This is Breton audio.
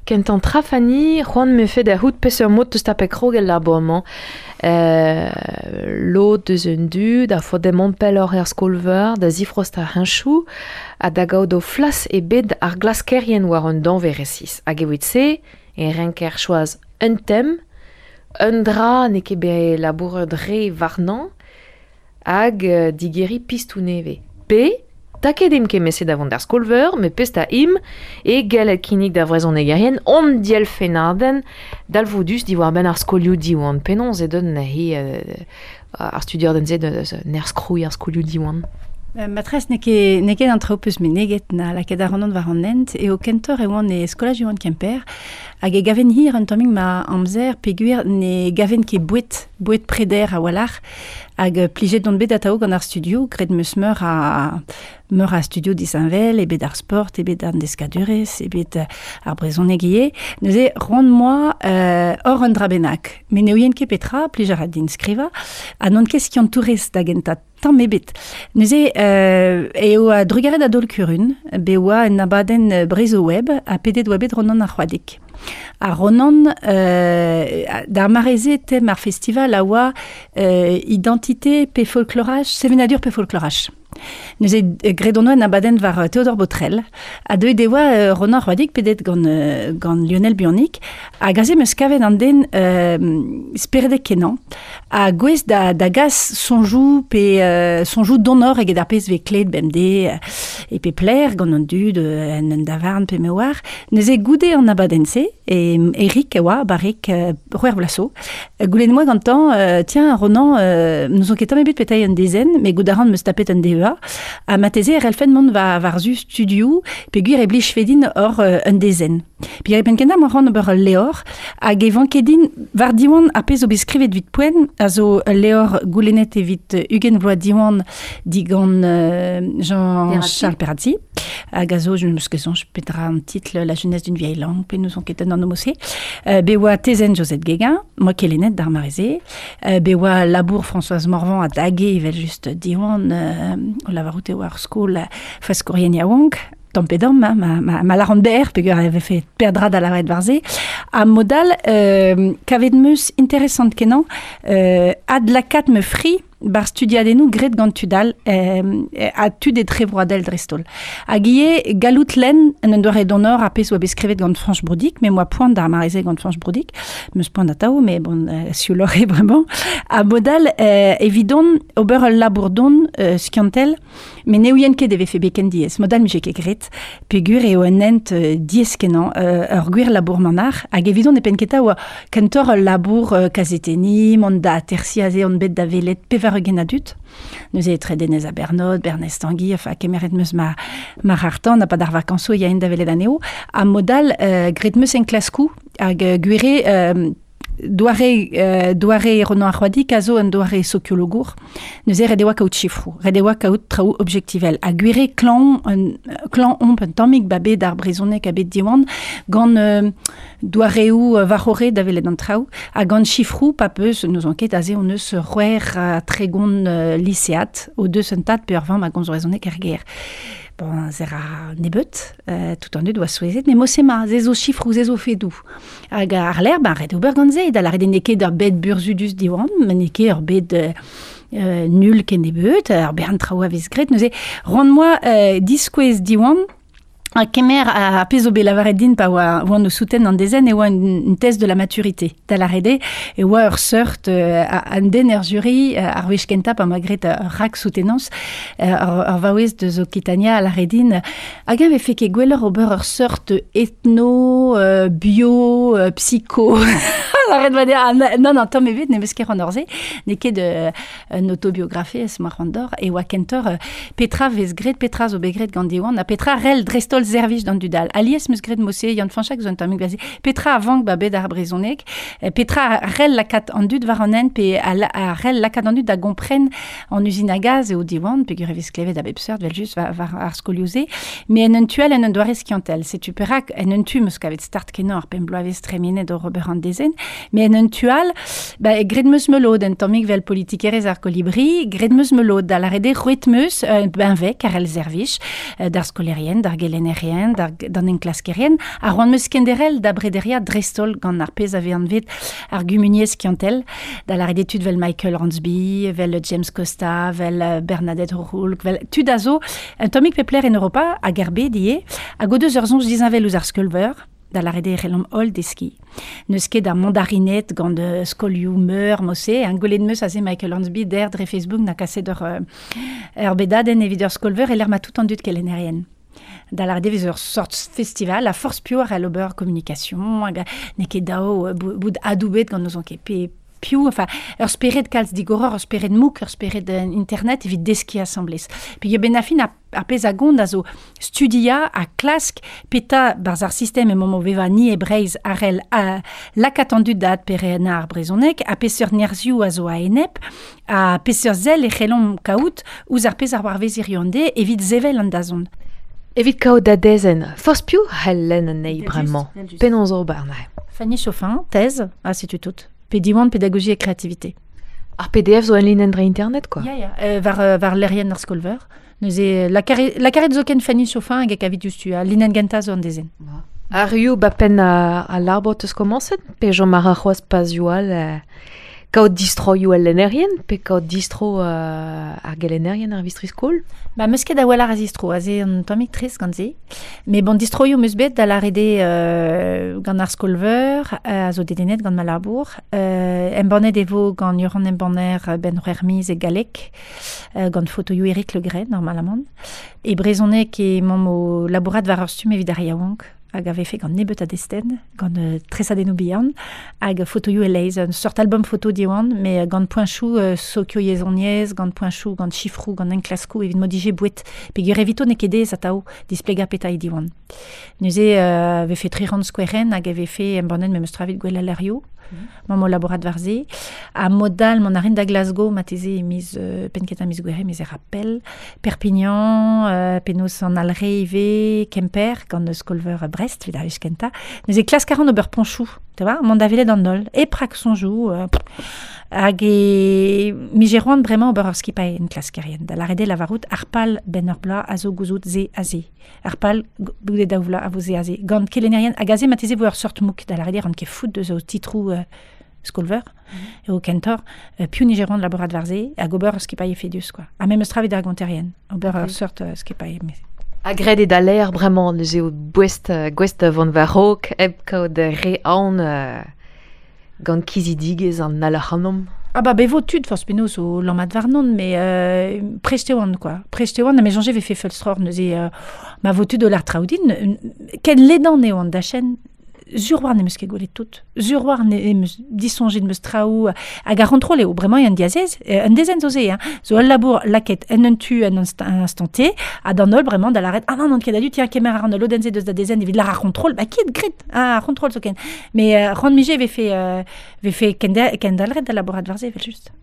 Kentañ tra Fanny, c'hoant 'mefe da c'hoût peseurt mod 'teus tapet krog el labour-mañ. Lod deus un dud a faot dezhe mont pelloc'h er skol-veur da zifrostañ heñchoù ha da gaout o flas e bed ar glaskerien war un danvez resis. Hag evit se e renker choaz un tem, un dra n'eo ket bet labouret re warnañ hag digeriñ pistoù nevez. Pe taket int kement-se da vont d'ar skol-veur, met pezh 'ta imp eo gallet kinnig d'ar vrezhonegerien hon dielfennadenn dalvoudus diwar-benn ar skolioù Diwan. Penaos eo deuet neuze ar studiadenn-se nerzh krouiñ ar skolioù Diwan? Matresse n'eo ket, n'eo ket an traoù peus meneget na lakaet ac'hanon war an hent eo kentoc'h e oan e skolaj Diwan Kemper hag e gaven hir un tammig ma amzer peogwir ne gaven ket boued, boued preder a-walc'h hag plijet on bet atav gant ar studioù, graet 'm eus meur a meur a studio disheñvel, eo bet ar sport, eo bet an deskadurezh, eo bet ar brezhoneg ivez. Neuze c'hoant 'moa hor un dra bennak. Met ne ouien ket petra, plij a ra din skrivañ, ha n'on ket skiantourez da gentañ tamm ebet. Neuze eo a-drugarez da Daol Kurun, bet oa un abadenn Brezhoweb ha pedet oa bet Ronan ar C'hoadig. Ha Ronan, d'ar mare-se, tem ar festival a oa identité pe folkloraj, sevenadur pe folkloraj. Neuze graet hon oa un abadenn war Théodore Botrel ha deuet e oa Ronan C'hoadig pedet gant, gant Lionel Buannic hag aze 'm eus kavet an den speredek-kenañ ha gouest da, da gas soñjoù pe soñjoù donoc'h eget ar pezh 'vez klevet bemdez e pep lec'h gant an dud en un davarn pe me oar. Neuze goude an abadenn-se, e Eric a oa barrek c'hwec'h vloaz zo, Goulenn 'moa gantañ, tiens Ronan, n'ouzon ket tamm ebet petra eo un dezenn, met goût a ran 'm eus tapet un DEA, ha marteze e c'hellfen mont war, war-zu studioù peogwir e blijfe din hor un dezenn. Peogwir e penn-kentañ 'moa c'hoant ober ul levr, hag e vanke din war Diwan ar pezh zo bet skrivet evit poent, a zo ul levr goulennet evit 20 vloaz Diwan digant Jean-Charles Perazzi, hag a zo, je me ket soñj petra an titl, La jeunesse d'une vieille langue, pe n'ouzon ket un anv se. Bet oa tezenn Josette Guéguin, moa kelennet d'ar mare-se. Bet oa labour Françoise Morvan a dage evel-just Diwan, o lavarout eo ar skol faskourien yaouank, tamm pe damm, hein, ma, ma, ma lâran berr, peogwir e vefe peadra da lavaret war se. Ha mod all, kavet 'm eus interesant kenañ adlakaat ma fri bar studiadennoù graet gant tud all ha tud etrevroadel dreist-holl. Hag ivez gallout lenn en un doare donor ar pezh oa bet skrivet gant Fañch Broudic, me 'moa poan d'ar mare-se gant Fañch Broudic, 'm eus poan atav, mais bon, siouloc'h eo bremañ. Ha mod all, evidon ober ul labour don skiantel, met ne ouien ket e vefe bet ken diaes. Mod all 'mije ket graet, peogwir eo un hent diaes-kenañ, ur gwir labour manac'h, hag evidon e penn-kentañ oa kentoc'h ul labour kazetenniñ, mont da atersiñ aze on bet da welet 80 a dud. Neuze etre Denez ha Bernod, Bernez Tanguy, enfin kemeret 'm eus ma, ma c'harr-tan ha pad ar vakañsoù e yaen da welet anezho. Ha mod all, graet 'm eus enklaskoù hag gwir eo doare, doare Ronan ar C'hoadig a zo un doare sokiologour. Neuze ret e oa kaout sifroù, ret e oa kaout traoù objektivel. Ha gwir eo klañv, klañv omp un tammig ba bed ar brezhoneg ha bed Diwan gant doareoù war-c'horre da welet an traoù ha gant sifroù pa peus, n'ouzon ket, aze hon eus 36 lisead o deus un tad pe ur vamm a gomz brezhoneg er gêr. Bon, se ra nebeut, tout an dud oa souezhet, met mod-se ma, se zo sifroù, se zo fedoù. Hag ar lec'h, ben, ret ober gant se, da lâret n'eo ket ur bed burzhudus Diwan, met n'eo ket ur bed nul kennebeut, ur bern traoù a vez graet. Neuze, roan moa diskouez Diwan, ha kemer ar pezh zo bet lavaret din pa oa oan o souten an dezenn e oa un test de la maturité. Da lâret eo e oa ur seurt un den er jury ar wech kentañ pa 'moa graet ur rak-soutenañs ur vaouez deus Okitania a lâre din hag eñ vefe ket gwelloc'h ober ur seurt ethno, bio, psycho Lâret va dezhañ, non, non, tamm ebet, ne meus ket c'hoant se, n'eo ket un autobiografiezh ma c'hoant d'or, e oa kentoc'h petra vez graet, petra zo bet graet gant Diwan, ha petra rell dreist-holl servij d'an dud all. Alies 'meus graet mod-se, Yann Fañchak zo un tammig bazi, petra a vank ba bed ar brezhoneg, petra rell lakaat an dud war an hent, pe a rell lakaat an dud da gompren An uzin a gaz eo Diwan, peogwir e vez klevet a bep seurt, evel-just, war ar skolioù-se. Met en un tu all, en un doare skiantel. Setu perak, en un tu, 'm eus kavet start-kenañ ar pemp bloavezh tremenet oc'h ober an dezenn. Me en un tual, ba, graet 'meus ma lod, un tammig 'vel politikerezh ar kolibri, graet 'meus ma lod, da lâret eo roet 'meus un benveg ar el servij, d'ar skolaerien, d'ar gelennerien, d'an enklaskerien, ha c'hoant 'meus kenderc'hel da brederiañ dreist-holl gant ar pezh a vez anvet ar gumuniezh skiantel, da lâret eo tud 'vel Michael Hornsby, 'vel James Costa, 'vel Bernadette O'Rourke, 'vel tud a zo un tammig pep lec'h en Europa hag er bed ivez, hag o deus ur soñj disheñvel ouzh ar skolveur, da lâret eo e c'hellomp holl deskiñ. N'eus ket a mandarined gant skolioù-meur mod-se, hein. Gwelet 'meus aze Michael Hornsby dec'h dre Facebook 'na kaset ur bedadenn evit ur skol-veur e-lec'h ma tout an dud kelennerien. Da lâret eo e vez ur sort festival ha forzh piv a c'hell ober communication hag n'eo ket dav bout adoubet gant n'ouzon ket pe piv, enfin ur spered kalz digoroc'h, ur spered mouk, ur spered internet evit deskiñ asambles. Peogwir benn ar fin ar pezh a gont a zo studiañ ha klask petra 'barzh ar sistem emaomp o vevañ ni e Breizh a c'hell lakaat an dud da adperennañ ar brezhoneg ha peseurt nerzhioù a zo a-enep ha peseurt sell e c'hellomp kaout ouzh ar pezh a c'hoarvez hiziv an deiz evit sevel an dazont. Evit kaout da dezenn, forzh piv a c'hell lenn anezhi bremañ. Penaos ober neuze? Fanny Chauffin, thèse, ha setu tout. Pe Diwan pédagogie et créativité. Ar PDF zo enlinenn dre internet quoi. Ya, ya, war, war lec'hienn ar skol-veur. Neuze, lakaret zoken Fanny Chauffin hag e kavit diouzhtu, al linenn gentañ zo an dezenn. Arru ba penn al labour 'teus komañset pe chom a ra c'hoazh pazioù all kaout distroioù al lennerien pe kaout distro ar gelennerien ar vistri-skol? Ba 'meus ket a-walc'h a zistro, aze un tammig trist gant se. Mais bon, distroioù 'meus bet da lâret eo gant ar skol-veur a zo dedennet gant ma labour. Embannet e vo gant Yoran Embanner benn c'hwec'h miz e galleg, gant fotoioù Eric Le Gray, normalamant. E brezhoneg emaomp o labourat war ur stumm evit ar yaouank hag a vefe gant nebeut a destenn, gant tresadennoù bihan hag fotoioù e-leizh, un seurt album foto Diwan, mais gant poeñchoù sokioyezhoniezh, gant poeñchoù, gant sifroù, gant enklaskoù evit m'o dije boued. Peogwir evito n'eo ket aes atav displegañ petra eo Diwan. Neuze e vefe tri c'hant skouerenn hag e vefe embannet memes tra evit gouel al lec'hioù. Mamm o labourat war se. Ha mod all, mont a rin da Glasgow marteze e miz penn-kentañ miz Gouere, miz e ra pell. Perpignan, penaos an Alre ivez, Kemper, gant skol-veur Brest, evit ar wech kentañ. Neuze klask a ran ober poñchoù, tu vois, mont da welet an holl, hep raksoñjoù. Hag e mije c'hoant bremañ ober ur skipailh enklaskerien, da lâret eo lavarout ar pal benn ur bloaz a zo gouzout se ha se. Ar pal goude daou vloaz a vo se aze. Gant kelennerien, hag aze marteze vo ur seurt mouk, da lâret eo ran ket fout deus o titroù skol-veur, eo kentoc'h piv nije c'hoant labourat war se hag ober ur skipailh efedus quoi. Ha memes tra evit ar gonterien, ober ur seurt skipailh. Ha graet eo da lêr bremañ neuze eo gouest, gouest da vont war-raok hep kaout re aon gant kizidigezh an all ac'hanomp. Ah bah be vo tud forzh penaos o lammat warnon, mais prest e oan quoi. Prest e oan, ha me soñje vefe feulstroc'h neuze ma vo tud o lâr traoù din. Ken ledan eo an dachenn, sur war n'em eus ket gwelet tout. Sur war em eus disoñjet 'm eus traoù hag ar c'hontrol eo bremañ eo an diazez. Un dezenn zo se, hein. Zo ul labour lakaet en un tu en un instant T, ha d'an holl bremañ da lâret ah non, n'on ket a-du, tiens, kemer a ran ul lodenn-se deus da dezenn evit lâr ar c'hontrol, bah ket graet ah, ar c'hontrol zoken. Mais c'hoant 'mije vefe vefe kendalc'het da labourat war se evel-just.